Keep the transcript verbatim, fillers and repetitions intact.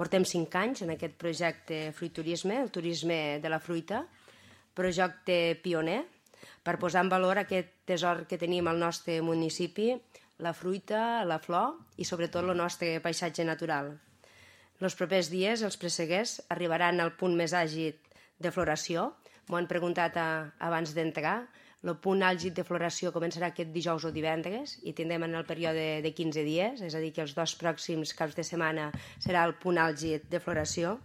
Portem cinc anys en aquest projecte Fruiturisme, el turisme de la fruita, projecte pioner, per posar en valor aquest tesor que tenim al nostre municipi, la fruita, la flor i sobretot el nostre paisatge natural. Els propers dies els presseguers arribaran al punt més àlgid de floració. M'ho han preguntat a, abans d'entrar. El punt àlgid de floració començarà aquest dijous o divendres i tindrem en el període de quinze dies, és a dir, que els dos pròxims caps de setmana serà el punt àlgid de floració.